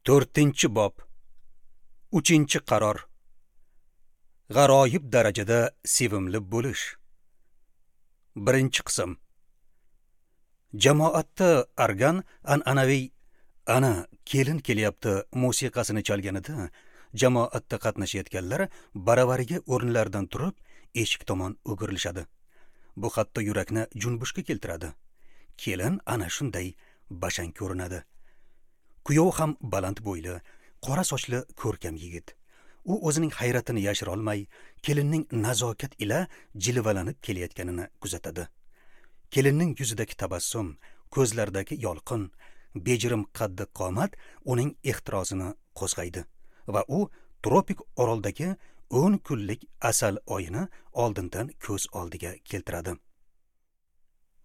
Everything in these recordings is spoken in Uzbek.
4-bob. 3-qaror. G'aroyib darajada sevimli bo'lish. 1-qism. Jamoatda argan an'anaviy "Ana kelin kelyapti" musiqasini chalganida jamoatda qatnashayotganlar baravariga o'rinlaridan turib eshik tomon o'girilishadi. Bu hatto yurakni junbushga keltiradi. Kelin ana shunday bashang ko'rinadi. Kuyov ham baland bo'yli, qora sochli ko'rkam yigit. U o'zining hayratini yashira olmay, kelinning nazokat ila jilvalanib kelayotganini kuzatadi. Kelinning yuzidagi tabassum, ko'zlaridagi yolqin, bejirim qaddi qomat uning ehtirosini qo'zg'aydi va u tropik oroldagi 10 kunlik asal oyini oldindan ko'z oldiga keltiradi.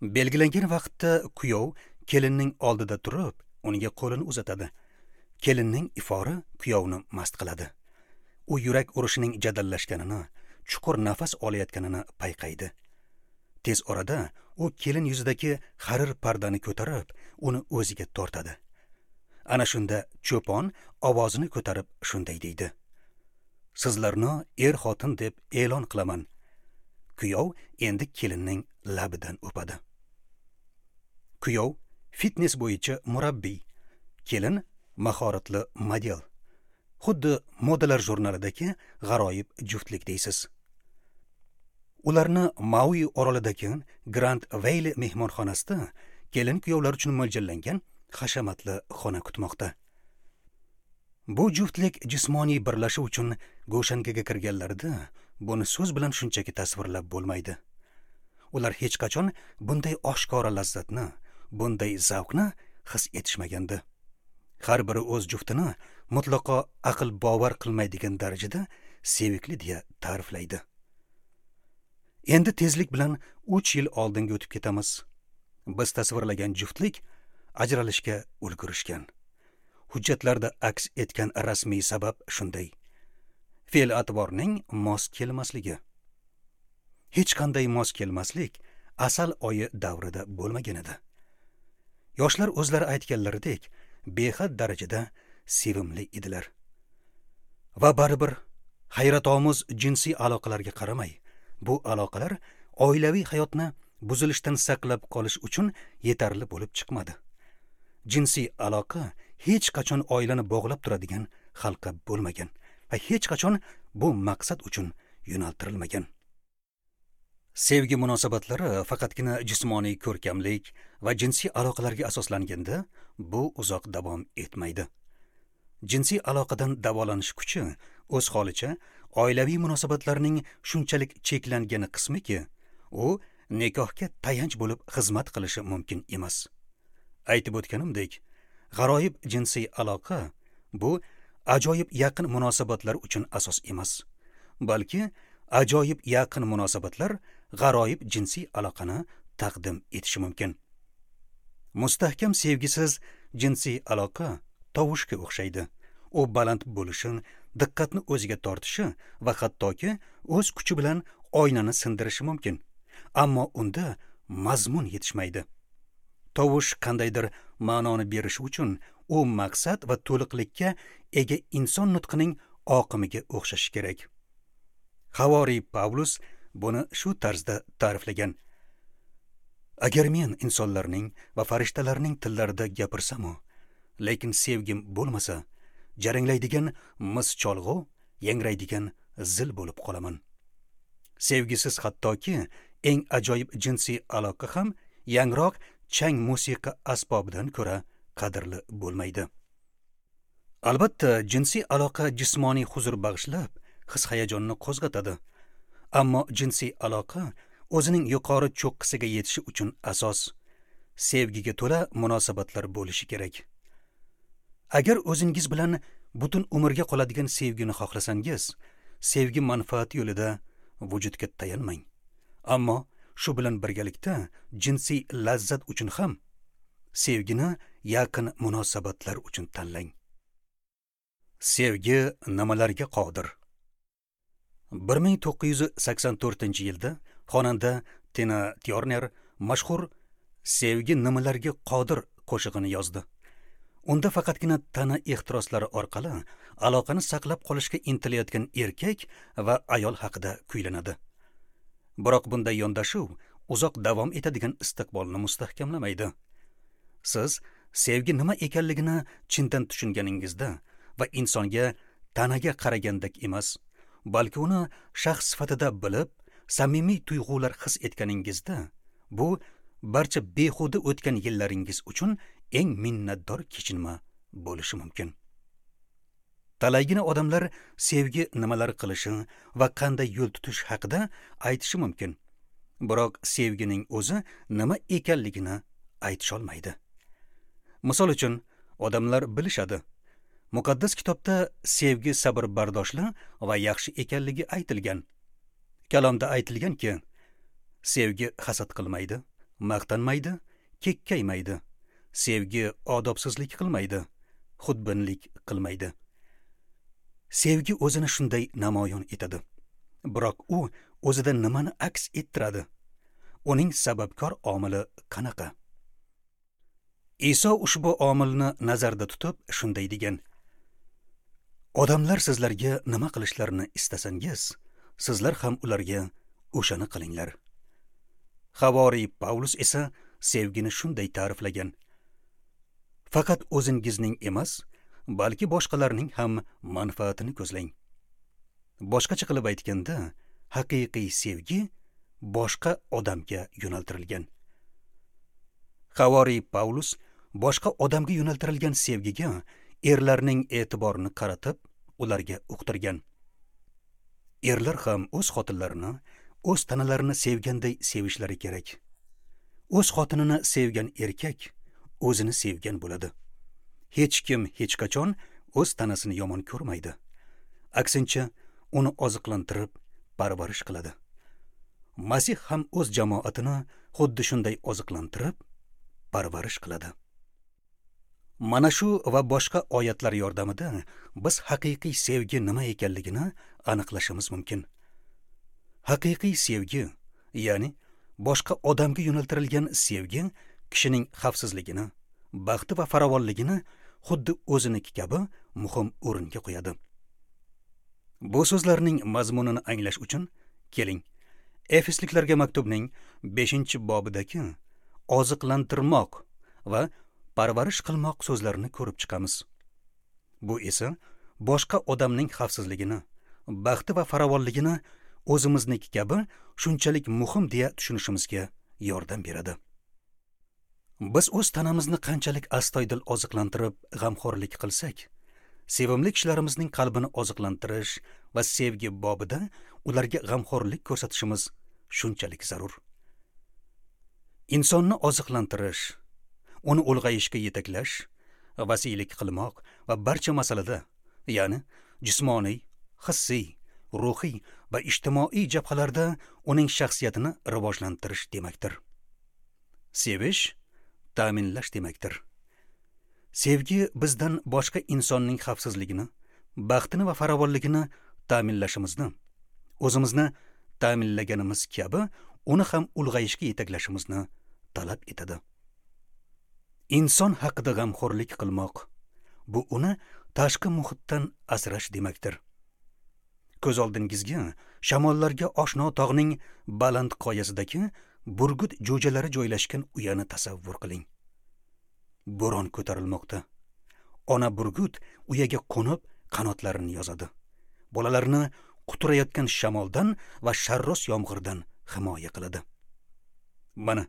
Belgilangan vaqtda kuyov kelinning oldida turib, unga qo'lini uzatadi. Kelinning ifori kuyovni mast qiladi. U yurak urishining jadallashganini, chuqur nafas olayotganini payqaydi. Tez orada u kelin yuzidagi harir pardani ko'tarib, uni o'ziga tortadi. Ana shunda cho'pon ovozini ko'tarib shunday deydi: "Sizlarni er-xotin deb e'lon qilaman." Kuyov endi kelinning labidan o'padi. Kuyov fitness bo'yicha murabbiy, kelin mahoratli model. Xuddi modalar jurnalidagi g'aroyib juftlik deysiz. Ularni Maui orolidagi Grand Valley mehmonxonasida kelin kuyovlar uchun mo'ljallangan hashamatli xona kutmoqda. Bu juftlik jismoniy birlashuv uchun go'shangaga kirganlarida buni so'z bilan shunchaki tasvirlab bo'lmaydi. Ular hech qachon bunday oshkora lazzatni, bunday zavqni his etishmagandi. Har biri o'z juftini mutlaqo aql bovar qilmaydigan darajada sevikli deya ta'riflaydi. Endi tezlik bilan 3 yil oldinga o'tib ketamiz. Biz tasvirlagan juftlik ajralishga ulgurishgan. Hujjatlarda aks etgan rasmiy sabab shunday: fe'l-atvorning mos kelmasligi. Hech qanday mos kelmaslik asal oyi davrida bo'lmagan edi. Yoshlar o'zlari aytganlaridek behad darajada sevimli edilar. Va baribir hayratomuz jinsiy aloqalarga qaramay, bu aloqalar oilaviy hayotni buzilishdan saqlab qolish uchun yetarli bo'lib chiqmadi. Jinsiy aloqa hech qachon oilani bog'lab turadigan halqa bo'lmagan va hech qachon bu maqsad uchun yo'naltirilmagan. Sevgi munosabatlari faqatgina jismoniy ko'rkamlik va jinsiy aloqalarga asoslanganda bu uzoq davom etmaydi. Jinsiy aloqadan davolanish kuchi o'z holicha oilaviy munosabatlarning shunchalik cheklangani qismiki, u nikohga tayanch bo'lib xizmat qilishi mumkin emas. Aytib o'tganimdek, g'aroyib jinsiy aloqa bu ajoyib yaqin munosabatlar uchun asos emas, balki ajoyib yaqin munosabatlar g'aroyib jinsiy aloqani taqdim etishi mumkin. Mustahkam sevgisiz jinsiy aloqa tovushga o'xshaydi. U baland bo'lishi, diqqatni o'ziga tortishi va hattoki o'z kuchi bilan oynani sindirishi mumkin. Ammo unda mazmun yetishmaydi. Tovush qandaydir ma'noni berishi uchun u maqsad va to'liqlikka ega inson nutqining oqimiga o'xshashi kerak. Havoriy Pavlus buni shu tarzda ta'riflagan: "Agar men insonlarning va farishtalarning tillarida gapirsam-u, lekin sevgim bo'lmasa, jaranglaydigan mis cholg'u, yangraydigan zil bo'lib qolaman." Sevgisiz hattoki eng ajoyib jinsiy aloqa ham yangroq chang musiqa asbobidan ko'ra qadrli bo'lmaydi. Albatta, jinsiy aloqa jismoniy huzur bag'ishlab, his-hayajonni qo'zg'atadi. Ammo jinsiy aloqa o'zining yuqori cho'qqisiga yetishi uchun asos sevgiga to'la munosabatlar bo'lishi kerak. Agar o'zingiz bilan butun umrga qoladigan sevgini xohlasangiz, sevgi manfaati yo'lida vujudga tayanmang. Ammo shu bilan birgalikda jinsiy lazzat uchun ham sevgini yaqin munosabatlar uchun tanlang. Sevgi nimalarga qodir? 1984-yilda xonanda Tina Turner mashhur "Sevgi nimalarga qodir" qo'shig'ini yozdi. Unda faqatgina tana ehtiroslari orqali aloqani saqlab qolishga intilayotgan erkak va ayol haqida kuylanadi. Biroq bunday yondashuv uzoq davom etadigan istiqbolni mustahkamlamaydi. Siz sevgi nima ekanligini chindan tushunganingizda va insonga tanaga qaragandek emas, balki uni shaxs sifatida bilib, samimiy tuyg'ular his etganingizda, bu barcha behuda o'tgan yillaringiz uchun eng minnatdor kechinma bo'lishi mumkin. Talaygina odamlar sevgi nimalar qilishi va qanday yo'l tutish haqida aytishi mumkin. Biroq sevgining o'zi nima ekanligini aytisha olmaydi. Misol uchun, odamlar bilishadi. Muqaddas kitobda sevgi sabr bardoshli va yaxshi ekanligi aytilgan. Kalomda aytilganki, sevgi hasad qilmaydi, maqtanmaydi, kekkaymaydi. Sevgi odobsizlik qilmaydi, xudbinlik qilmaydi. Sevgi o'zini shunday namoyon etadi. Biroq u o'zida nimani aks ettiradi? Uning sababkor omili qanaqa? Iso ushbu omilni nazarda tutib shunday degan: Odamlar sizlarga nima qilishlarini istasangiz, sizlar ham ularga o'shani qilinglar. Havoriy Pavlus esa sevgini shunday ta'riflagan: Faqat o'zingizning emas, balki boshqalarning ham manfaatini ko'zlang. Boshqacha qilib aytganda, haqiqiy sevgi boshqa odamga yo'naltirilgan. Havoriy Pavlus boshqa odamga yo'naltirilgan sevgiga erlarning e'tiborini qaratib, ularga uqtirgan. Erlar ham o'z xotinlarini, o'z tanalarini sevganday sevishlari kerak. O'z xotinini sevgan erkak o'zini sevgan bo'ladi. Hech kim hech qachon o'z tanasini yomon ko'rmaydi. Aksincha, uni oziqlantirib, parvarish qiladi. Masih ham o'z jamoatini xuddi shunday oziqlantirib, parvarish qiladi. Mana shu va boshqa oyatlar yordamida biz haqiqiy sevgi nima ekanligini aniqlashimiz mumkin. Haqiqiy sevgi, ya'ni boshqa odamga yo'naltirilgan sevgi kishining xavfsizligini, baxti va farovonligini xuddi o'ziniki kabi muhim o'ringa qo'yadi. Bu so'zlarning mazmunini anglash uchun keling, Efesliklarga maktubning 5-bobidagi oziqlantirmoq va parvarish qilmoq so'zlarini ko'rib chiqamiz. Bu esa boshqa odamning xavfsizligini, baxti va farovonligini o'zimizniki kabi shunchalik muhim deya tushunishimizga yordam beradi. Biz o'z tanamizni qanchalik astoydil oziqlantirib, g'amxo'rlik qilsak, sevimli kishilarimizning qalbini oziqlantirish va sevgi bobida ularga g'amxo'rlik ko'rsatishimiz shunchalik zarur. Insonni oziqlantirish, uni ulg'ayishga yetaklash, vasiylik qilmoq va barcha masalada, ya'ni jismoniy, hissiy, ruhiy va ijtimoiy jabhalarda uning shaxsiyatini rivojlantirish demakdir. Sevish ta'minlash demakdir. Sevgi bizdan boshqa insonning xavfsizligini, baxtini va farovonligini ta'minlashimizni, o'zimizni ta'minlaganimiz kabi uni ham ulg'ayishga yetaklashimizni talab etadi. Inson haqida g'amxo'rlik qilmoq bu uni tashqi muhitdan asrash demakdir. Ko'z oldingizga shamollarga oshno tog'ning baland qoyasidagi burgut jo'jalari joylashgan uyani tasavvur qiling. Bo'ron ko'tarilmoqda. Ona burgut uyaga qo'nib qanotlarini yozadi. Bolalarini quturayotgan shamoldan va sharros yomg'irdan himoya qiladi. Mana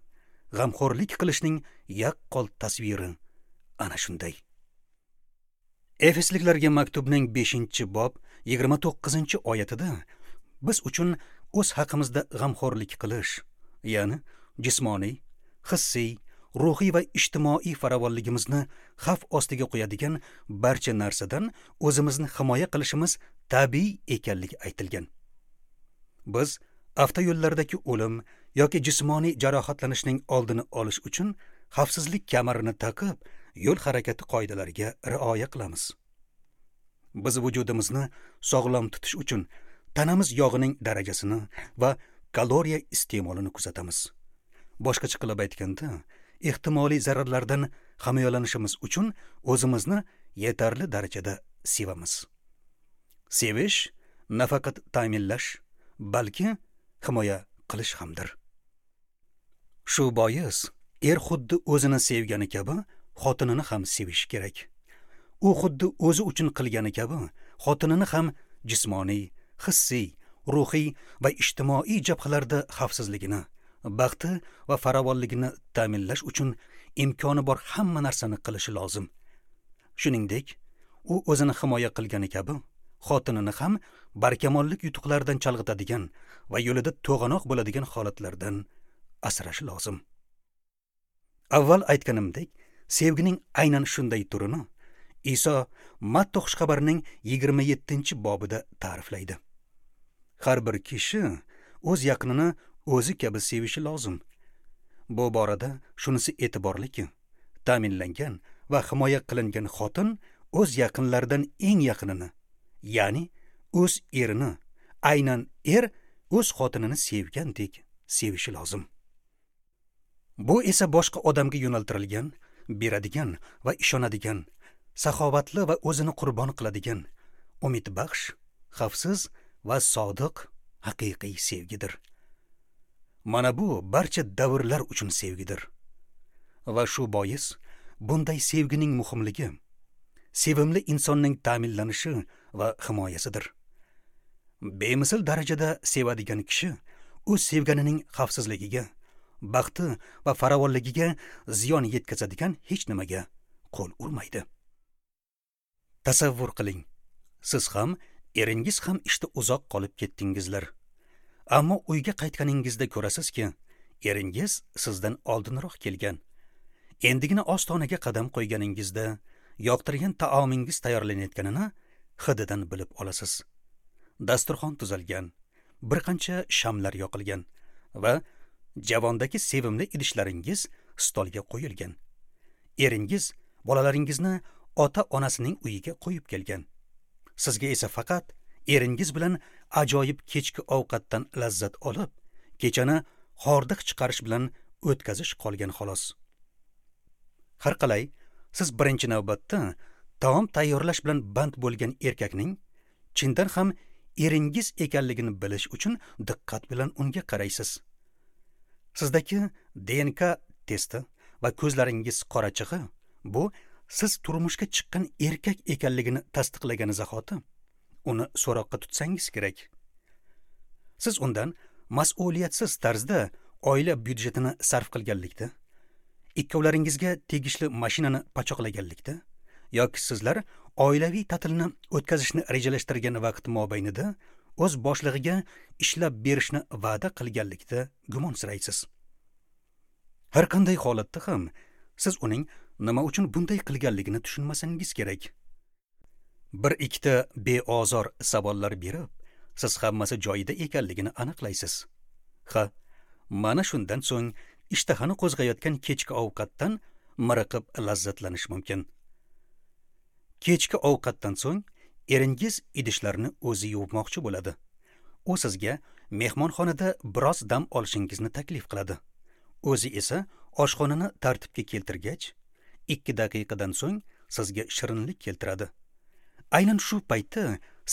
g'amxo'rlik qilishning yaqqol tasviri ana shunday. Efesliklarga maktubning 5-bob 29-oyatida biz uchun o'z haqimizda g'amxo'rlik qilish, ya'ni jismoniy, hissiy, ruhiy va ijtimoiy farovonligimizni xavf ostiga qo'yadigan barcha narsadan o'zimizni himoya qilishimiz tabiiy ekanligi aytilgan. Biz avtoyo'llardagi o'lim yoki jismoniy jarohatlanishning oldini olish uchun xavfsizlik kamarini taqib, yo'l harakati qoidalariga rioya qilamiz. Biz vujudimizni sog'lom tutish uchun tanamiz yog'ining darajasini va kaloriya iste'molini kuzatamiz. Boshqacha qilib aytganda, ehtimoliy zararlardan himoyalanishimiz uchun o'zimizni yetarli darajada sevamiz. Sevish nafaqat ta'minlash, balki himoya qilish hamdir. Shu bois er xuddi o'zini sevgani kabi xotinini ham sevishi kerak. U xuddi o'zi uchun qilgani kabi xotinini ham jismoniy, hissiy, ruhiy va ijtimoiy jabhalarda xavfsizligini, baxti va farovonligini ta'minlash uchun imkoni bor hamma narsani qilishi lozim. Shuningdek, u o'zini himoya qilgani kabi xotinini ham barkamollik yutuqlaridan chalg'itadigan va yo'lida to'g'anoq bo'ladigan holatlardan asrashi lozim. Avval aytganimdek, sevgining aynan shunday turini Iso Matta xushxabarining 27-bobida ta'riflaydi. Har bir kishi o'z yaqinini o'zi kabi sevishi lozim. Bu borada shunisi e'tiborliki, ta'minlangan va himoya qilingan xotin o'z yaqinlaridan eng yaqinini, ya'ni o'z erini, aynan er o'z xotinini sevgandek sevishi lozim. Bu esa boshqa odamga yo'naltirilgan, beradigan va ishonadigan, saxovatli va o'zini qurbon qiladigan, umidbaxsh, xavfsiz va sodiq haqiqiy sevgidir. Mana bu barcha davrlar uchun sevgidir. Va shu bois bunday sevgining muhimligi sevimli insonning ta'minlanishi va himoyasidir. Bemisl darajada sevadigan kishi o'z sevganining xavfsizligiga, baxti va farovonligiga ziyon yetkazadigan hech nimaga qo'l urmaydi. Tasavvur qiling, siz ham, eringiz ham ishda uzoq qolib ketdingizlar. Ammo uyga qaytganingizda ko'rasizki, eringiz sizdan oldinroq kelgan. Endigina ostonaga qadam qo'yganingizda yoqtirgan taomingiz tayyorlanayotganini hididan bilib olasiz. Dasturxon tuzalgan, bir qancha shamlar yoqilgan va javondagi sevimli idishlaringiz stolga qo'yilgan. Eringiz bolalaringizni ota-onasining uyiga qo'yib kelgan. Sizga esa faqat eringiz bilan ajoyib kechki ovqatdan lazzat olib, kechani hordiq chiqarish bilan o'tkazish qolgan xolos. Har qalay, siz birinchi navbatda taom tayyorlash bilan band bo'lgan erkakning chindan ham eringiz ekanligini bilish uchun diqqat bilan unga qaraysiz. Sizdagi DNK testi va ko'zlaringiz qorachig'i bu siz turmushga chiqqan erkak ekanligini tasdiqlagani zahoti uni so'roqqa tutsangiz kerak. Siz undan mas'uliyatsiz tarzda oila byudjetini sarf qilganlikda, ikkovlaringizga tegishli mashinani pachoqlaganlikda yoki sizlar oilaviy ta'tilni o'tkazishni rejalashtirgan vaqt mobaynida o'z boshlig'iga ishlab berishni va'da qilganlikda gumonsiraysiz. Har qanday holatda ham siz uning nima uchun bunday qilganligini tushunmasangiz kerak. Bir ikkita beozor savollar berib, siz hammasi joyida ekanligini aniqlaysiz. Ha, mana shundan so'ng ishtahani qo'zg'ayotgan kechki ovqatdan miriqib lazzatlanish mumkin. Kechki ovqatdan so'ng eringiz idishlarni o'zi yuvmoqchi bo'ladi. U sizga mehmonxonada biroz dam olishingizni taklif qiladi. O'zi esa oshxonani tartibga keltirgach, 2 daqiqadan so'ng sizga shirinlik keltiradi. Aynan shu paytda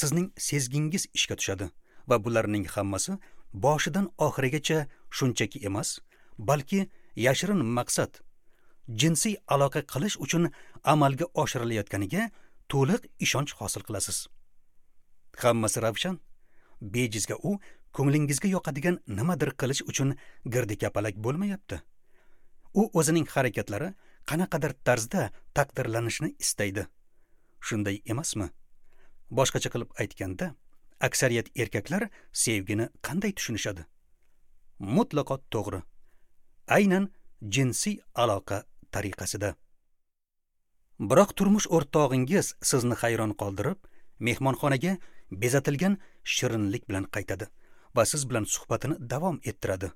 sizning sezgingiz ishga tushadi va bularning hammasi boshidan oxirigacha shunchaki emas, balki yashirin maqsad, jinsiy aloqa qilish uchun amalga oshirilayotganiga to'liq ishonch hosil qilasiz. Hammasi ravshan. Bejizga u ko'nglingizga yoqadigan nimadir qilish uchun girdikapalak bo'lmayapti. U o'zining harakatlari qanaqadir tarzda taqdirlanishini istaydi. Shunday emasmi? Boshqacha qilib aytganda, aksariyat erkaklar sevgini qanday tushunishadi? Mutlaqo to'g'ri. Aynan jinsiy aloqa tariqasida. Biroq turmush o'rtog'ingiz sizni hayron qoldirib, mehmonxonaga bezatilgan shirinlik bilan qaytadi va siz bilan suhbatini davom ettiradi.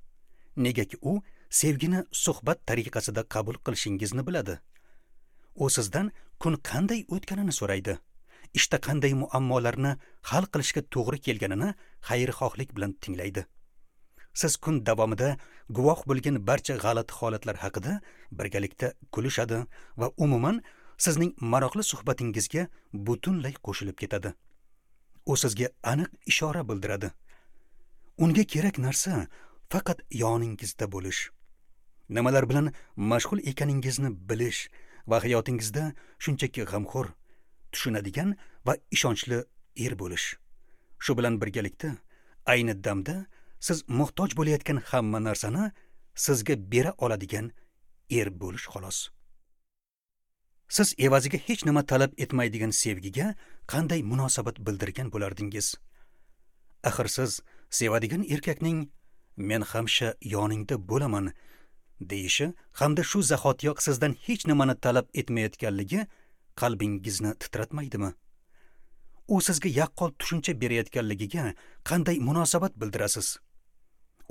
Negaki u sevgini suhbat tariqasida qabul qilishingizni biladi. U sizdan kun qanday o'tganini so'raydi. Ishda qanday muammolarni hal qilishga to'g'ri kelganini xayrixohlik bilan tinglaydi. Siz kun davomida guvoh bo'lgan barcha g'alati holatlar haqida birgalikda kulishadi va umuman sizning maroqli suhbatingizga butunlay qo'shilib ketadi. U sizga aniq ishora bildiradi. Unga kerak narsa faqat yoningizda bo'lish, nimalar bilan mashg'ul ekaningizni bilish va hayotingizda shunchaki g'amxo'r, tushunadigan va ishonchli er bo'lish. Shu bilan birgalikda ayni damda siz muhtoj bo'layotgan hamma narsani sizga bera oladigan er bo'lish xolos. Siz evaziga hech nima talab etmaydigan sevgiga qanday munosabat bildirgan bo'lardingiz? Axir siz sevadigan erkakning "Men hamisha yoningda bo'laman" deyishi hamda shu zahotiyoq sizdan hech nimani talab etmayotganligi qalbingizni titratmaydimi? U sizga yaqqol tushuncha berayotganligiga qanday munosabat bildirasiz?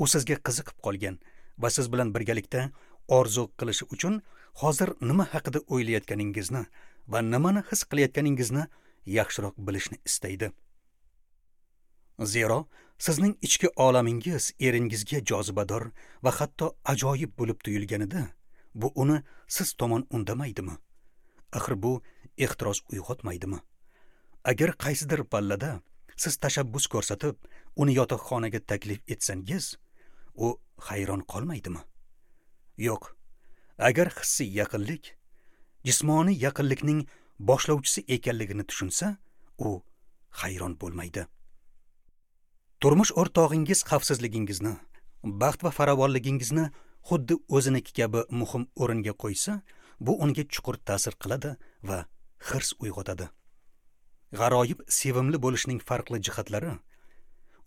U sizga qiziqib qolgan va siz bilan birgalikda orzu qilishi uchun hozir nima haqida o'ylayotganingizni va nimani his qilayotganingizni yaxshiroq bilishni istaydi. Zero sizning ichki olamingiz eringizga jozibador va hatto ajoyib bo'lib tuyulganida, bu uni siz tomon undamaydimi? Axir bu ehtiros uyg'otmaydimi? Agar qaysidir pallada siz tashabbus ko'rsatib, uni yotoqxonaga taklif etsangiz, u hayron qolmaydimi? Yo'q. Agar hissiy yaqinlik jismoniy yaqinlikning boshlovchisi ekanligini tushunsa, u hayron bo'lmaydi. Turmush o'rtog'ingiz xavfsizligingizni, baxt va farovonligingizni xuddi o'ziniki kabi muhim o'ringa qo'ysa, bu unga chuqur ta'sir qiladi va hirs uyg'otadi. G'aroyib sevimli bo'lishning farqli jihatlari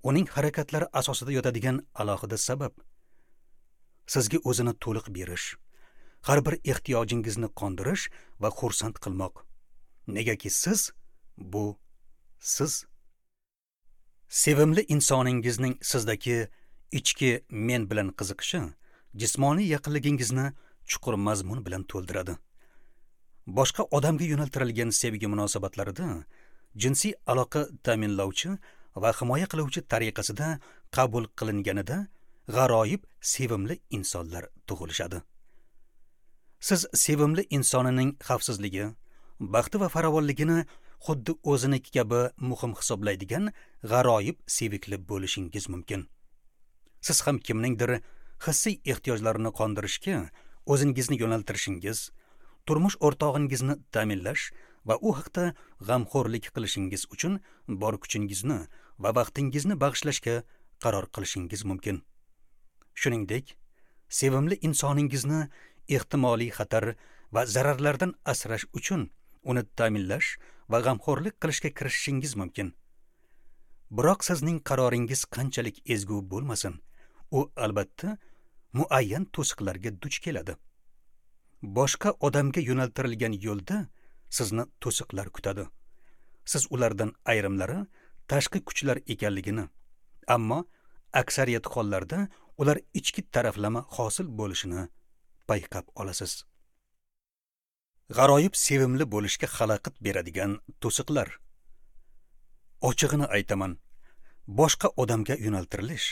uning harakatlari asosida yotadigan alohida sabab. Sizga o'zini to'liq berish, har bir ehtiyojingizni qondirish va xursand qilmoq. Negaki siz bu siz. Sevimli insoningizning sizdagi ichki men bilan qiziqishi jismoniy yaqinligingizni chuqur mazmun bilan to'ldiradi. Boshqa odamga yo'naltirilgan sevgi munosabatlarida jinsiy aloqa ta'minlovchi va himoya qiluvchi tariqasida qabul qilinganida g'aroyib sevimli insonlar tug'ilishadi. Siz sevimli insonining xavfsizligi, baxti va farovonligini xuddi o'ziniki kabi muhim hisoblaydigan g'aroyib sevikli bo'lishingiz mumkin. Siz ham kimningdir hissiy ehtiyojlarini qondirishga o'zingizni yo'naltirishingiz, turmush o'rtog'ingizni ta'minlash va u haqda g'amxo'rlik qilishingiz uchun bor kuchingizni va vaqtingizni bag'ishlashga qaror qilishingiz mumkin. Shuningdek, sevimli insoningizni ehtimoliy xatar va zararlardan asrash uchun uni ta'minlash va g'amxo'rlik qilishga kirishishingiz mumkin. Biroq sizning qaroringiz qanchalik ezgu bo'lmasin, u albatta muayyan to'siqlarga duch keladi. Boshqa odamga yo'naltirilgan yo'lda sizni to'siqlar kutadi. Siz ulardan ayrimlari tashqi kuchlar ekanligini, ammo aksariyat hollarda ular ichki taraflama hosil bo'lishini payqab olasiz. G'aroyib sevimli bo'lishga xalaqit beradigan to'siqlar. Ochig'ini aytaman, boshqa odamga yo'naltirilish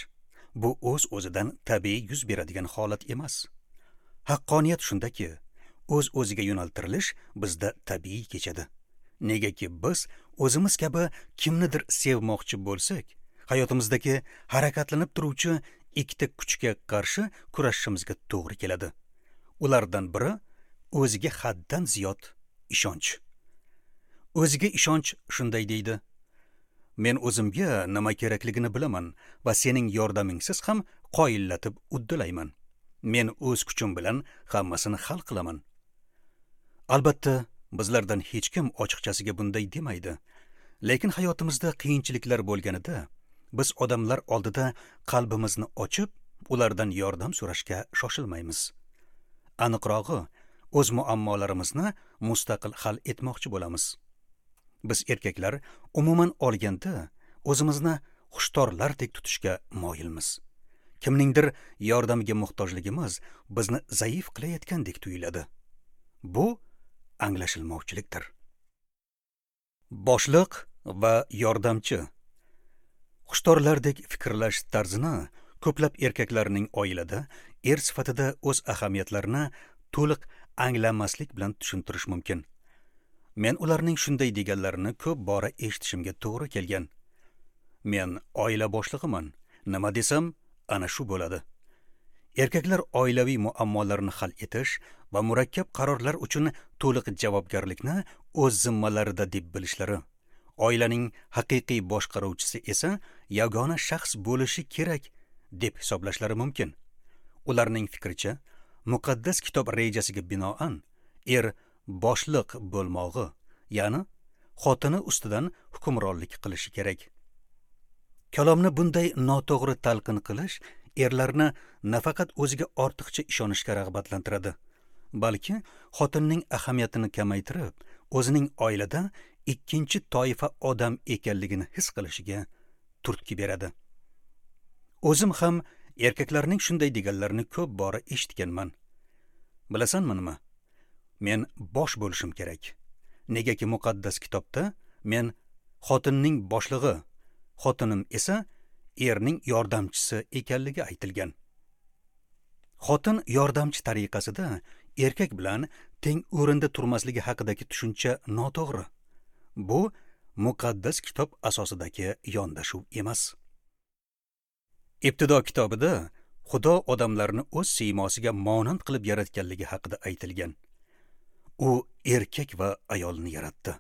bu o'z-o'zidan tabiiy yuz beradigan holat emas. Haqqoniyat shundaki, o'z-o'ziga yo'naltirilish bizda tabiiy kechadi. Negaki biz o'zimiz kabi kimnidir sevmoqchi bo'lsak, hayotimizdagi harakatlanib turuvchi ikkita kuchga qarshi kurashishimizga to'g'ri keladi. Ulardan biri o'ziga haddan ziyod ishonch. O'ziga ishonch shunday deydi: Men o'zimga nima kerakligini bilaman va sening yordamingsiz ham qoyillatib uddalayman. Men o'z kuchim bilan hammasini hal qilaman. Albatta, bizlardan hech kim ochiqchasiga bunday demaydi. Lekin hayotimizda qiyinchiliklar bo'lganida biz odamlar oldida qalbimizni ochib, ulardan yordam so'rashga shoshilmaymiz. Aniqrog'i, o'z muammolarimizni mustaqil hal etmoqchi bo'lamiz. Biz erkaklar umuman olganda o'zimizni xushtorlardek tutishga moyilmiz. Kimningdir yordamiga muhtojligimiz bizni zaif qilayotgandek tuyuladi. Bu anglashilmovchilikdir. Boshliq va yordamchi. Xushtorlardek fikrlash tarzini Ko'plab erkaklarning oilada er sifatida o'z ahamiyatlarini to'liq anglamaslik bilan tushuntirish mumkin. Men ularning shunday deganlarini ko'p bora eshitishimga to'g'ri kelgan. Men oila boshlig'iman, nima desam, ana shu bo'ladi. Erkaklar oilaviy muammolarni hal etish va murakkab qarorlar uchun to'liq javobgarlikni o'z zimmalarida deb bilishlari, oilaning haqiqiy boshqaruvchisi esa yagona shaxs bo'lishi kerak deb hisoblashlari mumkin. Ularning fikricha, muqaddas kitob rejasiga binoan er boshliq bo'lmog'i, ya'ni xotini ustidan hukmronlik qilishi kerak. Kalomni bunday noto'g'ri talqin qilish erlarni nafaqat o'ziga ortiqcha ishonishga rag'batlantiradi, balki xotinning ahamiyatini kamaytirib, o'zining oilada ikkinchi toifa odam ekanligini his qilishiga turtki beradi. O'zim ham erkaklarning shunday deganlarini ko'p bora eshitganman. Bilasanmi nima? Men bosh bo'lishim kerak. Negaki muqaddas kitobda men xotinning boshlig'i, xotinim esa erning yordamchisi ekanligi aytilgan. Xotin yordamchi tariqasida erkak bilan teng o'rinda turmasligi haqidagi tushuncha noto'g'ri. Bu muqaddas kitob asosidagi yondashuv emas. Ibtido kitobida Xudo odamlarni o'z siymosiga monand qilib yaratganligi haqida aytilgan. U erkak va ayolni yaratdi.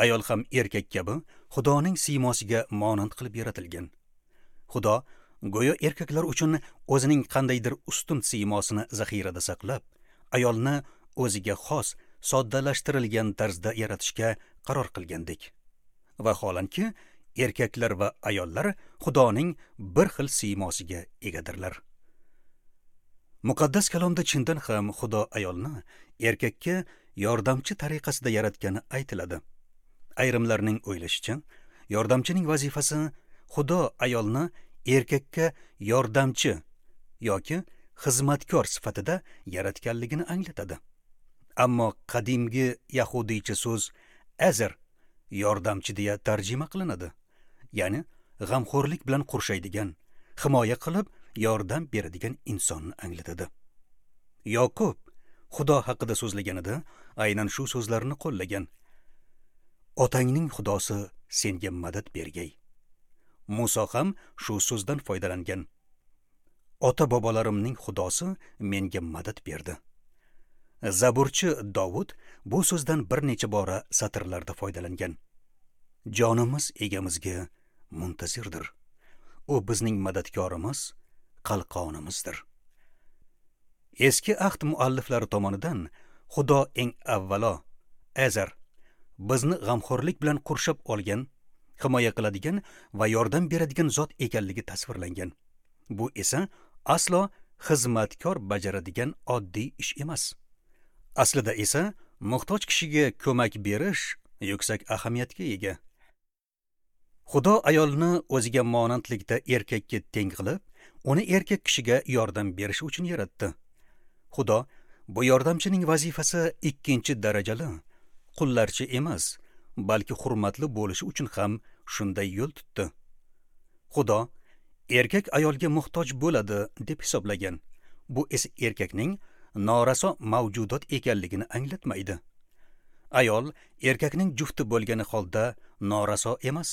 Ayol ham erkak kabi Xudoning siymosiga monand qilib yaratilgan. Xudo go'yo erkaklar uchun o'zining qandaydir ustun siymosini zaxirada saqlab, ayolni o'ziga xos, soddalashtirilgan tarzda yaratishga qaror qilgandek. Vaholanki, erkaklar va ayollar Xudoning bir xil siymosiga egadirlar. Muqaddas kalomda chindan ham Xudo ayolni erkakka yordamchi tariqasida yaratgani aytiladi. Ayrimlarning o'ylashicha, yordamchining vazifasi Xudo ayolni erkakka yordamchi yoki xizmatkor sifatida yaratganligini anglatadi. Ammo qadimgi yahudiycha so'z azar yordamchi deya tarjima qilinadi. Ya'ni g'amxo'rlik bilan qurshaydigan, himoya qilib yordam beradigan insonni anglatadi. Yoqub Xudo haqida so'zlaganida aynan shu so'zlarni qo'llagan. Otangning Xudosi senga madad bergay. Muso ham shu so'zdan foydalangan. Ota-bobolarimning Xudosi menga madad berdi. Zaburchi Dovud bu so'zdan bir necha bora satrlarda foydalangan. Jonimiz egamizga muntazirdir. U bizning madadkorimiz, qalqonimizdir. Eski ahd mualliflari tomonidan Xudo eng avvalo azar bizni g'amxo'rlik bilan qurshab olgan, himoya qiladigan va yordam beradigan zot ekanligi tasvirlangan. Bu esa aslo xizmatkor bajaradigan oddiy ish emas. Aslida esa muhtoj kishiga ko'mak berish yuksak ahamiyatga ega. Xudo ayolni o'ziga monandlikda erkakka teng qilib, uni erkak kishiga yordam berish uchun yaratdi. Xudo bu yordamchining vazifasi ikkinchi darajali, qullarcha emas, balki hurmatli bo'lishi uchun ham shunday yo'l tutdi. Xudo erkak ayolga muhtoj bo'ladi deb hisoblagan. Bu esa erkakning noraso mavjudot ekanligini anglatmaydi. Ayol erkakning jufti bo'lgani holda noraso emas.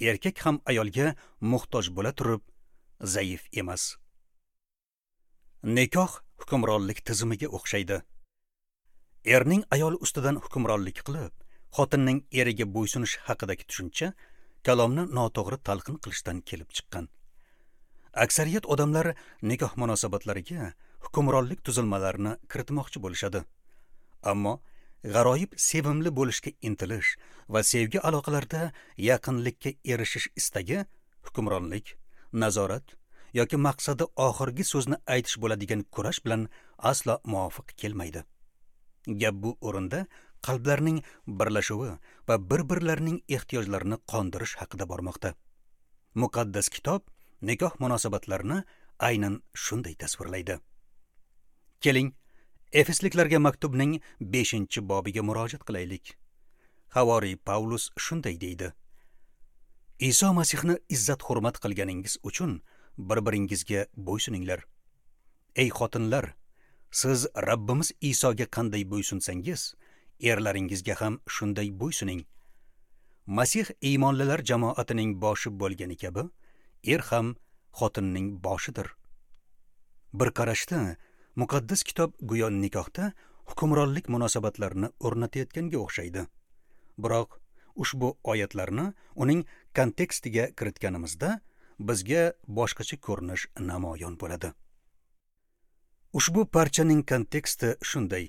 Erkak ham ayolga muhtoj bo'la turib zaif emas. Nikoh hukmronlik tizimiga o'xshaydi. Erning ayol ustidan hukmronlik qilib, xotinning eriga bo'ysunish haqidagi tushuncha kalomni noto'g'ri talqin qilishdan kelib chiqqan. Aksariyat odamlar nikoh munosabatlariga hukmronlik tuzilmalarini kiritmoqchi bo'lishadi. Ammo g'aroyib sevimli bo'lishga intilish va sevgi aloqalarida yaqinlikka erishish istagi hukmronlik, nazorat yoki maqsadi oxirgi so'zni aytish bo'ladigan kurash bilan aslo muvofiq kelmaydi. Gap bu o'rinda qalblarning birlashuvi va bir-birlarining ehtiyojlarini qondirish haqida bormoqda. Muqaddas kitob nikoh munosabatlarini aynan shunday tasvirlaydi. Keling, Efesliklarga maktubning 5-bobiga murojaat qilaylik. Havoriy Pavlus shunday deydi: Iso Masihni izzat-hurmat qilganingiz uchun bir-biringizga bo'ysuninglar. Ey xotinlar, siz Rabbimiz Isoga qanday bo'ysunsangiz, erlaringizga ham shunday bo'ysuning. Masih iymonlilar jamoatining boshi bo'lgani kabi, er ham xotinning boshidir. Bir qarashda muqaddas kitob go'yo nikohda hukmronlik munosabatlarini o'rnatayotganga o'xshaydi. Biroq ushbu oyatlarni uning kontekstiga kiritganimizda bizga boshqacha ko'rinish namoyon bo'ladi. Ushbu parchaning konteksti shunday.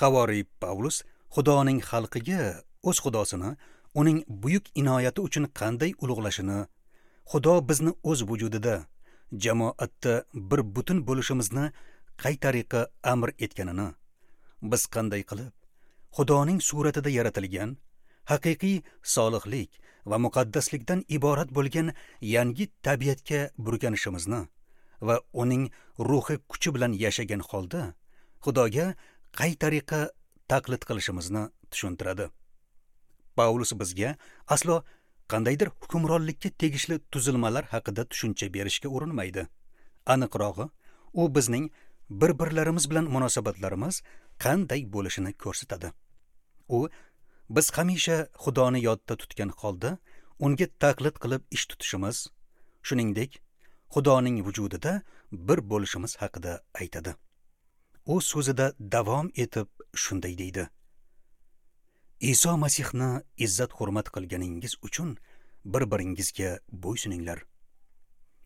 Havoriy Pavlus Xudoning xalqiga o'z Xudosini uning buyuk inoyati uchun qanday ulug'lashini, Xudo bizni o'z vujudida, jamoatda bir butun bo'lishimizni qay tariqa amr etganini, biz qanday qilib Xudoning suratida yaratilgan haqiqiy solihlik va muqaddaslikdan iborat bo'lgan yangi tabiatga burkanishimizni va uning ruhi kuchi bilan yashagan holda Xudoga qay tariqa taqlid qilishimizni tushuntiradi. Pavlus bizga aslo qandaydir hukmronlikka tegishli tuzilmalar haqida tushuncha berishga urinmaydi. Aniqrog'i, u bizning bir-birlarimiz bilan munosabatlarimiz qanday bo'lishini ko'rsatadi. U biz hamisha Xudoni yodda tutgan holda unga taqlid qilib ish tutishimiz, shuningdek, Xudoning vujudida bir bo'lishimiz haqida aytadi. U so'zida davom etib shunday deydi: Iso Masihni izzat-hurmat qilganingiz uchun bir-biringizga bo'ysuninglar.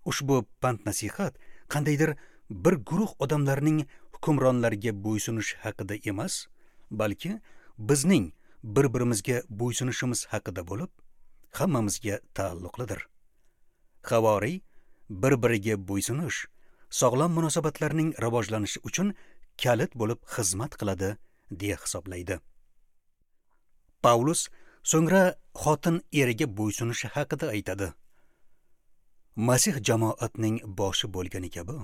Ushbu pand-nasihat qandaydir bir guruh odamlarning hukmronlarga bo'ysunish haqida emas, balki bizning bir-birimizga bo'ysunishimiz haqida bo'lib, hammamizga taalluqlidir. Havoriy bir-biriga bo'ysunish sog'lom munosabatlarning rivojlanishi uchun kalit bo'lib xizmat qiladi deya hisoblaydi. Pavlus so'ngra xotin eriga bo'ysunishi haqida aytadi. Masih jamoatning boshi bo'lgani kabi,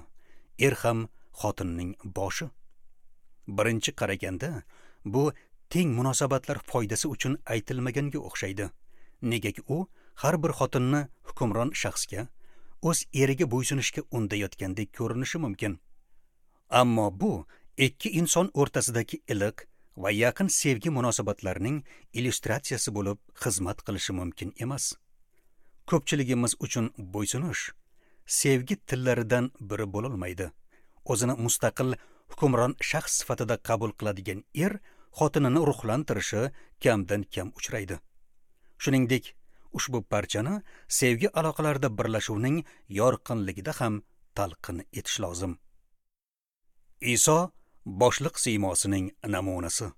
er ham xotinning boshi. Birinchi qaraganda bu teng munosabatlar foydasi uchun aytilmaganga o'xshaydi. Negaki u har bir xotinni hukmron shaxsga, o'z eriga bo'ysunishga undayotgandek ko'rinishi mumkin. Ammo bu ikki inson o'rtasidagi iliq va yaqin sevgi munosabatlarining illyustratsiyasi bo'lib xizmat qilishi mumkin emas. Ko'pchiligimiz uchun bo'ysunish sevgi tillaridan biri bo'lolmaydi. O'zini mustaqil hukmron shaxs sifatida qabul qiladigan er xotinini ruhlantirishi kamdan kam uchraydi. Shuningdek, ushbu parchani sevgi aloqalarida birlashuvning yorqinligida ham talqin etish lozim. Iso boshliq siymosining namunasi.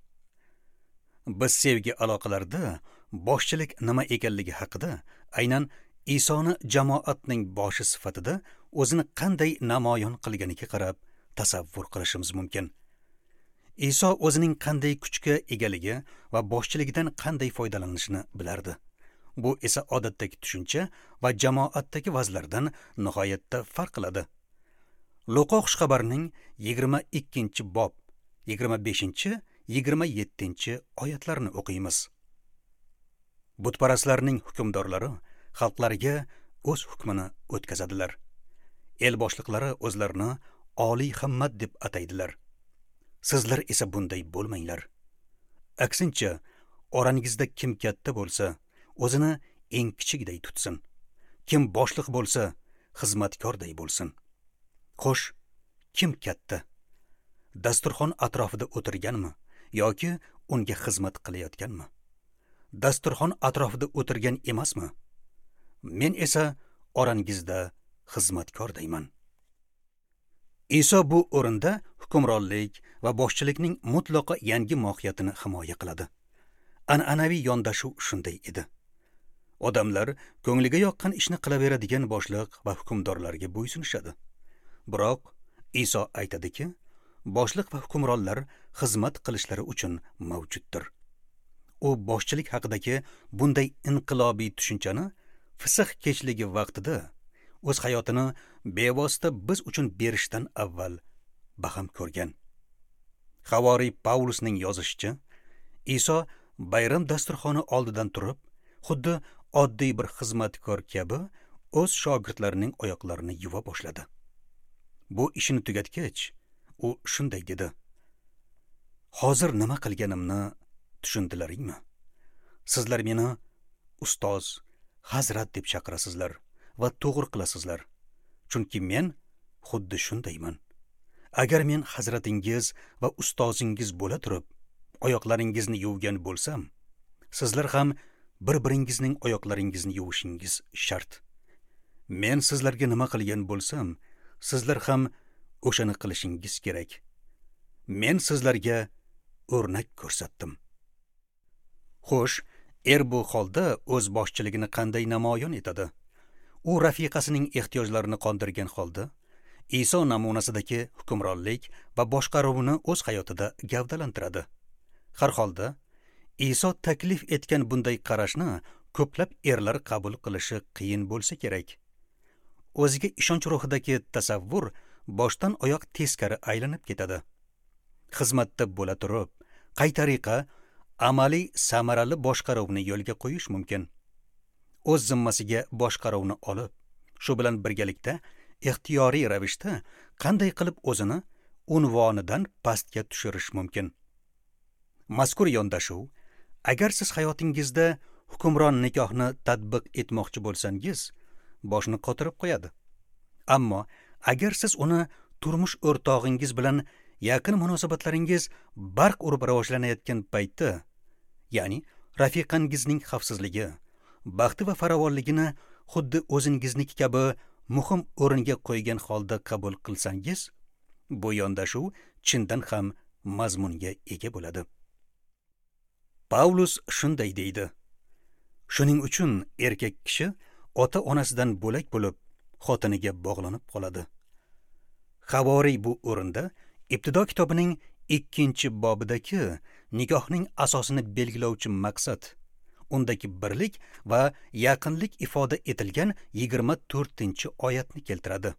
Biz sevgi aloqalarida boshchilik nima ekanligi haqida aynan Isoni jamoatning boshi sifatida o'zini qanday namoyon qilganiga qarab tasavvur qilishimiz mumkin. Iso o'zining qanday kuchga egaligi va boshchiligidan qanday foydalanishini bilardi. Bu esa odatdagi tushuncha va jamoatdagi vazlardan nihoyatda farq qiladi. Luqo xushxabarining 22-bob 25-27 oyatlarini o'qiymiz. Butparastlarning hukmdorlari xalqlarga o'z hukmini o'tkazadilar. El boshliqlari o'zlarini oliy himmat deb ataydilar. Sizlar esa bunday bo'lmanglar. Aksincha, orangizda kim katta bo'lsa, o'zini eng kichikday tutsin. Kim boshliq bo'lsa, xizmatkorday bo'lsin. Xo'sh, kim katta? Dasturxon atrofida o'tirganmi yoki unga xizmat qilayotganmi? Dasturxon atrofida o'tirgan emasmi? Men esa orangizda xizmatkordayman. Iso bu o'rinda hukmronlik va boshchilikning mutlaqo yangi mohiyatini himoya qiladi. An'anaviy yondashuv shunday edi. Odamlar ko'ngliga yoqqan ishni qilaveradigan boshliq va hukmdorlarga bo'ysunishadi. Biroq Iso aytadiki, boshliq va hukmronlar xizmat qilishlari uchun mavjuddir. U boshchilik haqidagi bunday inqilobiy tushunchani Fisih kechligi vaqtida o'z hayotini bevosita biz uchun berishdan avval baham ko'rgan. Havoriy Pavlusning yozishicha, Iso bayram dasturxoni oldidan turib, xuddi oddiy bir xizmatkor kabi o'z shogirdlarining oyoqlarini yuva boshladi. Bu ishini tugatgach, u shunday dedi: Hozir nima qilganimni tushundilaringmi? Sizlar meni ustoz, hazrat deb chaqirasizlar va to'g'ri qilasizlar. Chunki men xuddi shundayman. Agar men hazratingiz va ustozingiz bo'la turib, oyoqlaringizni yuvgan bo'lsam, sizlar ham bir-biringizning oyoqlaringizni yuvishingiz shart. Men sizlarga nima qilgan bo'lsam, sizlar ham o'shani qilishingiz kerak. Men sizlarga o'rnak ko'rsatdim. Xo'sh, er bu holda o'z boshchiligini qanday namoyon etadi? U rafiqasining ehtiyojlarini qondirgan holda Iso namunasidagi hukmronlik va boshqaruvni o'z hayotida gavdalantiradi. Har holda Iso taklif etgan bunday qarashni ko'plab erlar qabul qilishi qiyin bo'lsa kerak. O'ziga ishonch ruhidagi tasavvur boshdan oyoq teskari aylanib ketadi. Xizmatda bo'la turib, qay tariqa amaliy samarali boshqaruvni yo'lga qo'yish mumkin? O'z zimmasiga boshqaruvni olib, shu bilan birgalikda ixtiyoriy ravishda qanday qilib o'zini unvonidan pastga tushirish mumkin? Mazkur yondashuv, agar siz hayotingizda hukmron nikohni tatbiq etmoqchi bo'lsangiz, boshni qotirib qo'yadi. Ammo agar siz uni turmush o'rtog'ingiz bilan yaqin munosabatlaringiz barq urib rivojlanayotgan paytda, ya'ni rafiqangizning xavfsizligi, baxti va farovonligini xuddi o'zingizniki kabi muhim o'ringa qo'ygan holda qabul qilsangiz, bu yondashuv chindan ham mazmunga ega bo'ladi. Pavlus shunday deydi: Shuning uchun erkak kishi ota-onasidan bo'lak bo'lib, xotiniga bog'lanib qoladi. Havoriy bu o'rinda Ibtido kitobining 2-bobidagi nikohning asosini belgilovchi maqsad, undagi birlik va yaqinlik ifoda etilgan 24-oyatni keltiradi.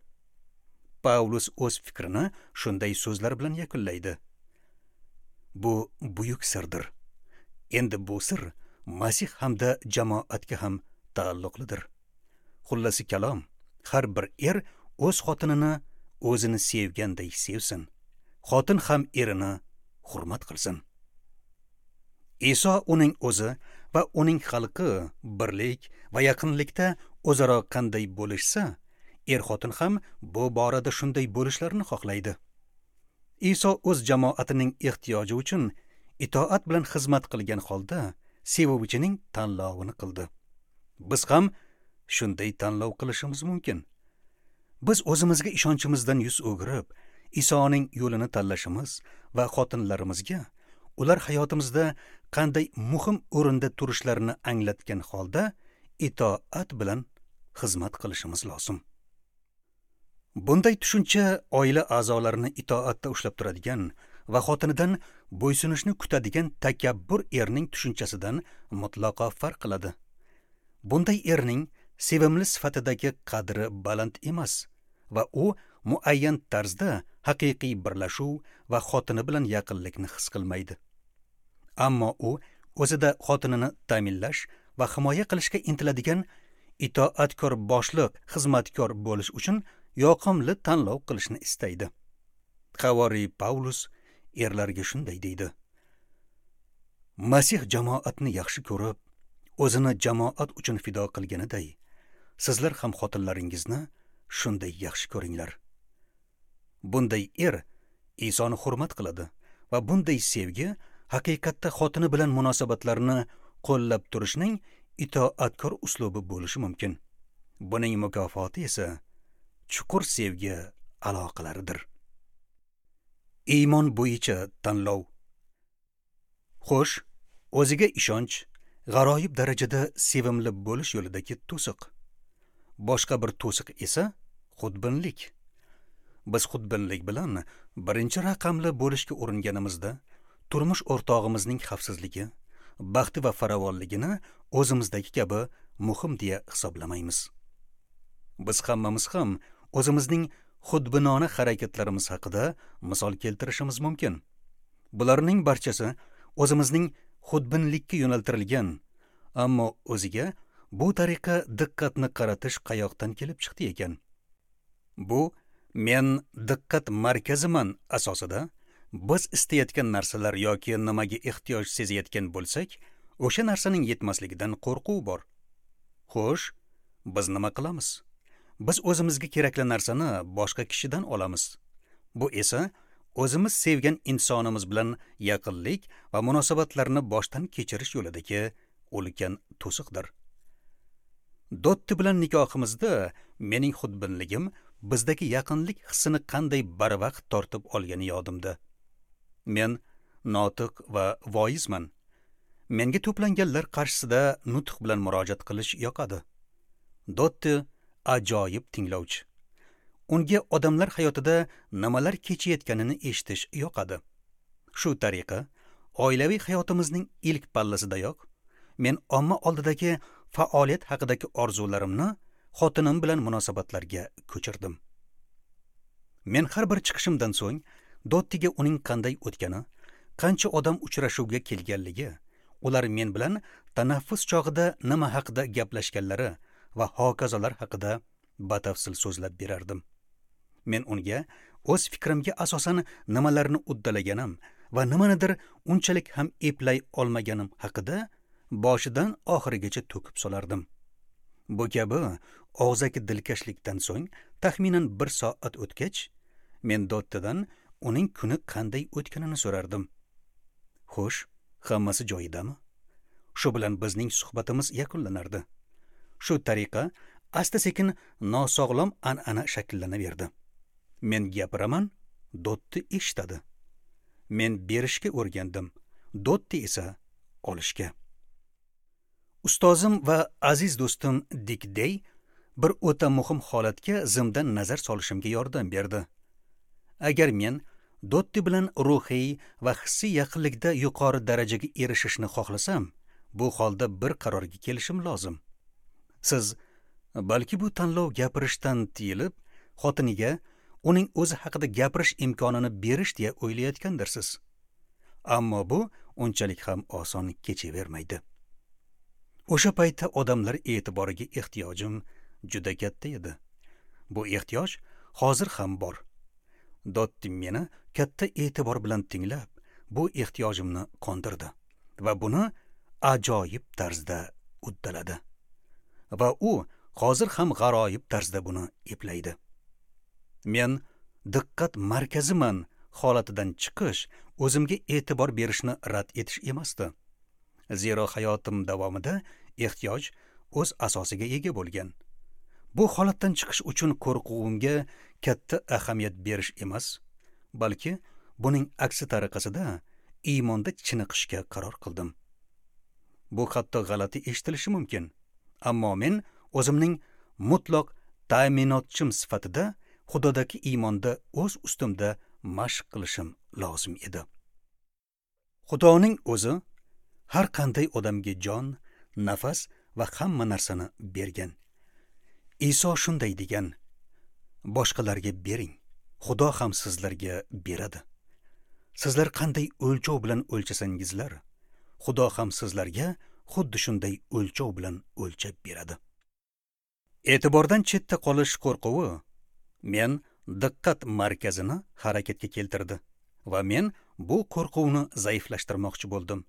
Pavlus o'z fikrini shunday so'zlar bilan yakunlaydi: Bu buyuk sirdir. Endi bu sir Masih hamda jamoatga ham taalluqlidir. Xullasi kalom, har bir er o'z xotinini o'zini sevganday sevsin. Xotin ham erini hurmat qilsin. Iso uning o'zi va uning xalqi birlik va yaqinlikda o'zaro qanday bo'lishsa, er-xotin ham bu borada shunday bo'lishlarini xohlaydi. Iso o'z jamoatining ehtiyoji uchun itoat bilan xizmat qilgan holda sevuvchining tanlovini qildi. Biz ham shunday tanlov qilishimiz mumkin. Biz o'zimizga ishonchimizdan yuz o'girib, Isoning yo'lini tanlashimiz va xotinlarimizga ular hayotimizda qanday muhim o'rinda turishlarini anglatgan holda itoat bilan xizmat qilishimiz lozim. Bunday tushuncha oila a'zolarini itoatda ushlab turadigan va xotinidan bo'ysunishni kutadigan takabbur erning tushunchasidan mutlaqo farq qiladi. Bunday erning sevimli sifatidagi qadri baland emas va u muayyan tarzda haqiqiy birlashuv va xotini bilan yaqinlikni his qilmaydi. Ammo u o'zida xotinini ta'minlash va himoya qilishga intiladigan itoatkor boshliq, xizmatkor bo'lish uchun yoqimli tanlov qilishni istaydi. Havoriy Pavlus erlarga shunday deydi: Masih jamoatni yaxshi ko'rib, o'zini jamoat uchun fido qilganiday, sizlar ham xotinlaringizni shunday yaxshi ko'ringlar. Bunday er Isoni hurmat qiladi va bunday sevgi haqiqatda xotini bilan munosabatlarni qo'llab turishning itoatkor uslubi bo'lishi mumkin. Buning mukofoti esa chuqur sevgi aloqalaridir. Iymon bo'yicha tanlov. Xo'sh, o'ziga ishonch g'aroyib darajada sevimli bo'lish yo'lidagi to'siq. Boshqa bir to'siq esa xudbinlik. Biz xudbinlik bilan birinchi raqamli bo'lishga uringanimizda turmush o'rtog'imizning xavfsizligi, baxti va farovonligini o'zimizdagi kabi muhim deya hisoblamaymiz. Biz hammamiz ham o'zimizning xudbinona harakatlarimiz haqida misol keltirishimiz mumkin. Bularning barchasi o'zimizning xudbinlikka yo'naltirilgan, ammo o'ziga Bu tariqa diqqatni qaratish qayoqdan kelib chiqdi ekan? Bu men diqqat markaziman asosida biz istayotgan narsalar yoki nimaga ehtiyoj sezayotgan bo'lsak, o'sha narsaning yetmasligidan qo'rquv bor. Xo'sh, biz nima qilamiz? Biz o'zimizga kerakli narsani boshqa kishidan olamiz. Bu esa o'zimiz sevgan insonimiz bilan yaqinlik va munosabatlarni boshdan kechirish yo'lidagi ulkan to'siqdir. Dotti bilan nikohimizda mening xudbinligim bizdagi yaqinlik hissini qanday barvaqt tortib olgani yodimda. Men notiq va voizman. Menga to'planganlar qarshisida nutq bilan murojaat qilish yoqadi. Dotti ajoyib tinglovchi. Unga odamlar hayotida nimalar kechayotganini eshitish yoqadi. Shu tariqa oilaviy hayotimizning ilk pallasidayoq men omma oldidagi faoliyat haqidagi orzularimni xotinim bilan munosabatlarga ko'chirdim. Men har bir chiqishimdan so'ng Dottiga uning qanday o'tgani, qancha odam uchrashuvga kelganligi, ular men bilan tanaffus chog'ida nima haqida gaplashganlari va hokazolar haqida batafsil so'zlab berardim. Men unga o'z fikrimga asosan nimalarni uddalaganim va nimanidir unchalik ham eplay olmaganim haqida boshidan oxirigacha to'kib solardim. Bu kabi og'zaki dilkashlikdan so'ng taxminan 1 soat o'tgach, men Dottidan uning kuni qanday o'tganini so'rardim. Xo'sh, hammasi joyidami? Shu bilan bizning suhbatimiz yakunlanardi. Shu tariqa asta-sekin nosog'lom an'ana shakllanaverdi. Men gapiraman, Dotti eshitadi. Men berishga o'rgandim, Dotti esa olishga. Ustozim va aziz do'stim Dik Dey bir o'ta muhim holatga zimdan nazar solishimga yordam berdi. Agar men Dotti bilan ruhiy va hissiy yaqinlikda yuqori darajaga erishishni xohlasam, bu holda bir qarorga kelishim lozim. Siz balki bu tanlov gapirishdan tiyilib, xotiniga uning o'zi haqida gapirish imkonini berish deya o'ylayotgandirsiz. Ammo bu unchalik ham oson kechavermaydi. O'sha paytda odamlar e'tiboriga ehtiyojim juda katta edi. Bu ehtiyoj hozir ham bor. Dotti meni katta e'tibor bilan tinglab, bu ehtiyojimni qondirdi va buni ajoyib tarzda uddaladi. Va u hozir ham g'aroyib tarzda buni eplaydi. Men diqqat markaziman holatidan chiqish o'zimga e'tibor berishni rad etish emasdi. Zero hayotim davomida ehtiyoj o'z asosiga ega bo'lgan. Bu holatdan chiqish uchun qo'rquvimga katta ahamiyat berish emas, balki buning aksi tariqasida iymonda chiniqishga qaror qildim. Bu hatto g'alati eshitilishi mumkin, ammo men o'zimning mutlaq ta'minotchim sifatida Xudodagi iymonda o'z ustimda mashq qilishim lozim edi. Xudoning o'zi har qanday odamga jon, nafas va hamma narsani bergan. Iso shunday degan: boshqalarga bering, Xudo ham sizlarga beradi. Sizlar qanday o'lchov bilan o'lchasangizlar, Xudo ham sizlarga xuddi shunday o'lchov bilan o'lchab beradi. E'tibordan chetda qolish qo'rquvi men diqqat markazini harakatga keltirdi va men bu qo'rquvni zaiflashtirmoqchi bo'ldim.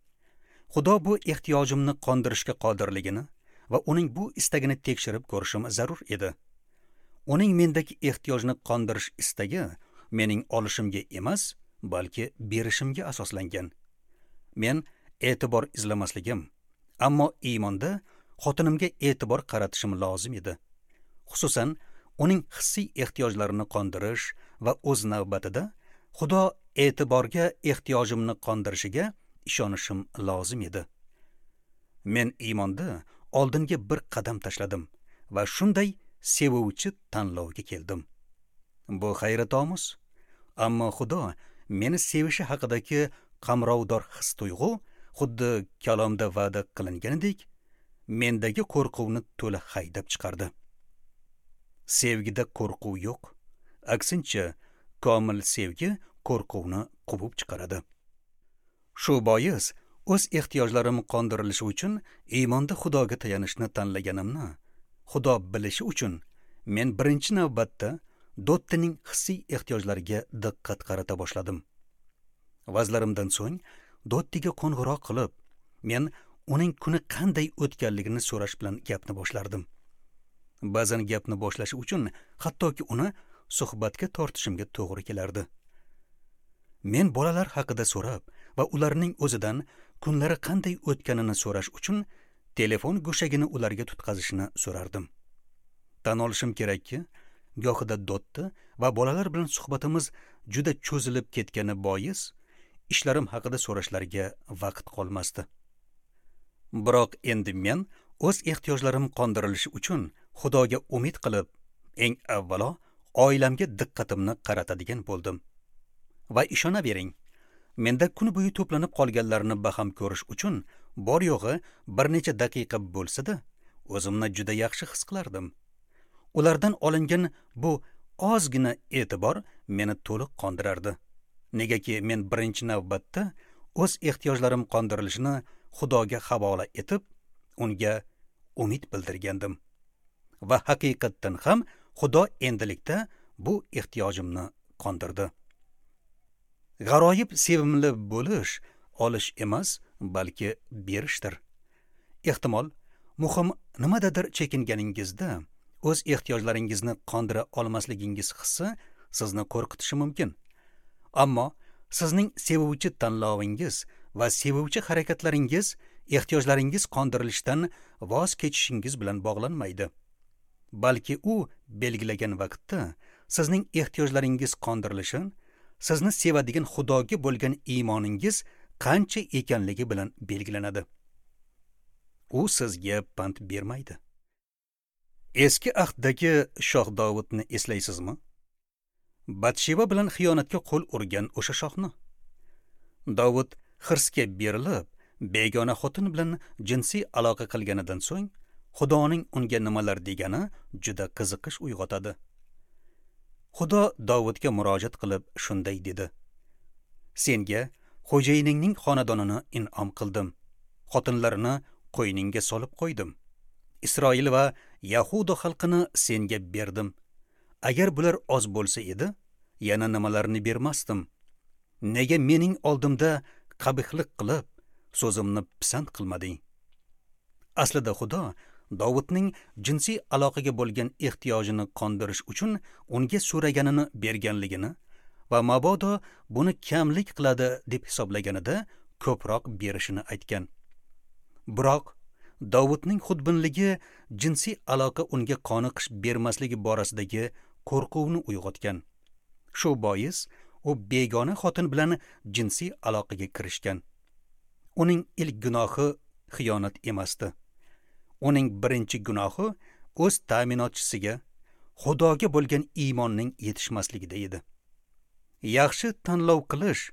Xudo bu ehtiyojimni qondirishga qodirligini va uning bu istagini tekshirib ko'rishim zarur edi. Uning mendagi ehtiyojni qondirish istagi mening olishimga emas, balki berishimga asoslangan. Men e'tibor izlamasligim, ammo iymonda xotinimga e'tibor qaratishim lozim edi. Xususan, uning hissiy ehtiyojlarini qondirish va o'z navbatida Xudo e'tiborga ehtiyojimni qondirishiga ishonishim lozim edi. Men iymonda oldinga bir qadam tashladim va shunday sevuvchi tanlovga keldim. Bu hayratomuz, ammo Xudo meni sevishi haqidagi qamrovdor his-tuyg'u xuddi kalomda va'da qilinganidek mendagi qo'rquvni to'la haydab chiqardi. Sevgida qo'rquv yo'q. Aksincha, komil sevgi qo'rquvni quvib chiqaradi. Shu bois O'z ehtiyojlarim qondirilishi uchun iymonda Xudoga tayanishni tanlaganimni Xudo bilishi uchun men birinchi navbatda Dottining hissiy ehtiyojlariga diqqat qarata boshladim. Vazlarimdan so'ng Dottiga qo'ng'iroq qilib, men uning kuni qanday o'tganligini so'rash bilan gapni boshlardim. Ba'zan gapni boshlashi uchun hattoki uni suhbatga tortishimga to'g'ri kelardi. Men bolalar haqida so'rab va ularning o'zidan kunlari qanday o'tganini so'rash uchun telefon go'shagini ularga tutqazishini so'rardim. Tan olishim kerakki, gohida Dotti va bolalar bilan suhbatimiz juda cho'zilib ketgani bois ishlarim haqida so'rashlarga vaqt qolmasdi. Biroq endi men o'z ehtiyojlarim qondirilishi uchun Xudoga umid qilib, eng avvalo oilamga diqqatimni qaratadigan bo'ldim. Va ishonavering, menda kun bo'yi to'planib qolganlarni baham ko'rish uchun bor yo'g'i bir necha daqiqa bo'lsa-da, o'zimni juda yaxshi his qilardim. Ulardan olingan bu ozgina e'tibor meni to'liq qondirardi. Negaki men birinchi navbatda o'z ehtiyojlarim qondirilishini Xudoga havola etib, unga umid bildirgandim. Va haqiqatdan ham Xudo endilikda bu ehtiyojimni qondirdi. G'aroyib sevimli bo'lish olish emas, balki berishdir. Ehtimol, muhim nimadadir chekinganingizda o'z ehtiyojlaringizni qondira olmasligingiz hissi sizni qo'rqitishi mumkin. Ammo sizning sevuvchi tanlovingiz va sevuvchi harakatlaringiz ehtiyojlaringiz qondirilishidan voz kechishingiz bilan bog'lanmaydi. Balki u belgilagan vaqtda sizning ehtiyojlaringiz qondirilishi sizni sevadigan Xudoga bo'lgan iymoningiz qancha ekanligi bilan belgilanadi. U sizga pand bermaydi. Eski ahddagi shoh Dovudni eslaysizmi? Batsheva bilan xiyonatga qo'l urgan o'sha shohni. Dovud hirsga berilib, begona xotin bilan jinsiy aloqa qilganidan so'ng Xudoning unga nimalar degani juda qiziqish uyg'otadi. Xudo Dovudga murojaat qilib shunday dedi: Senga xo'jayiningning xonadonini in'om qildim. Xotinlarini qo'yningga solib qo'ydim. Isroil va Yahuda xalqini senga berdim. Agar bular oz bo'lsa edi, yana nimalarni bermasdim. Nega mening oldimda qabihlik qilib, so'zimni pisand qilmading? Aslida Xudo Dovudning jinsiy aloqaga bo'lgan ehtiyojini qondirish uchun unga so'raganini berganligini va mabodo buni kamlik qiladi deb hisoblaganida ko'proq berishini aytgan. Biroq Dovudning xudbinligi jinsiy aloqa unga qoniqish bermasligi borasidagi qo'rquvni uyg'otgan. Shu bois u begona xotin bilan jinsiy aloqaga kirishgan. Uning ilk gunohi xiyonat emasdi. Uning birinchi gunohi o'z ta'minotchisiga, Xudoga bo'lgan iymonning yetishmasligida edi. Yaxshi tanlov qilish,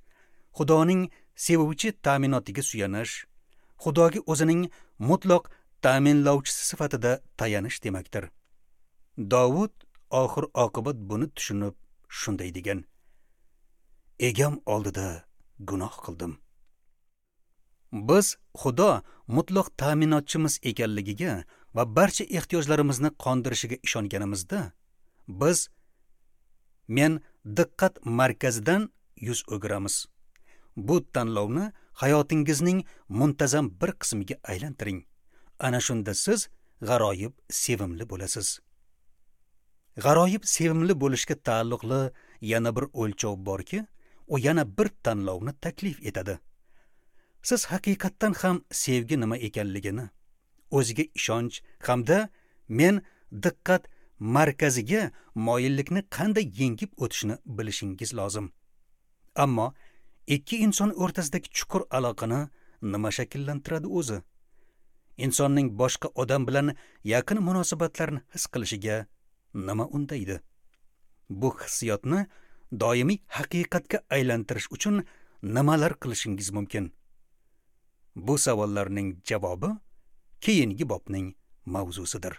Xudoning sevuvchi ta'minotiga suyanish, Xudoga o'zining mutlaq ta'minlovchisi sifatida tayanish demakdir. Dovud oxir oqibat buni tushunib shunday degan: Egam oldida gunoh qildim. Biz Xudo mutlaq ta'minotchimiz ekanligiga va barcha ehtiyojlarimizni qondirishiga ishonganimizda, biz men diqqat markazidan yuz o'giramiz. Bu tanlovni hayotingizning muntazam bir qismiga aylantiring. Ana shunda siz g'aroyib sevimli bo'lasiz. G'aroyib sevimli bo'lishga taalluqli yana bir o'lchov borki, u yana bir tanlovni taklif etadi. Siz haqiqatdan ham sevgi nima ekanligini, o'ziga ishonch hamda men diqqat markaziga moyillikni qanday yengib o'tishni bilishingiz lozim. Ammo ikki inson o'rtasidagi chuqur aloqani nima shakllantiradi o'zi? Insonning boshqa odam bilan yaqin munosabatlarni his qilishiga nima undaydi? Bu hissiyotni doimiy haqiqatga aylantirish uchun nimalar qilishingiz mumkin? Bu savollarning javobi keyingi bobning mavzusidir.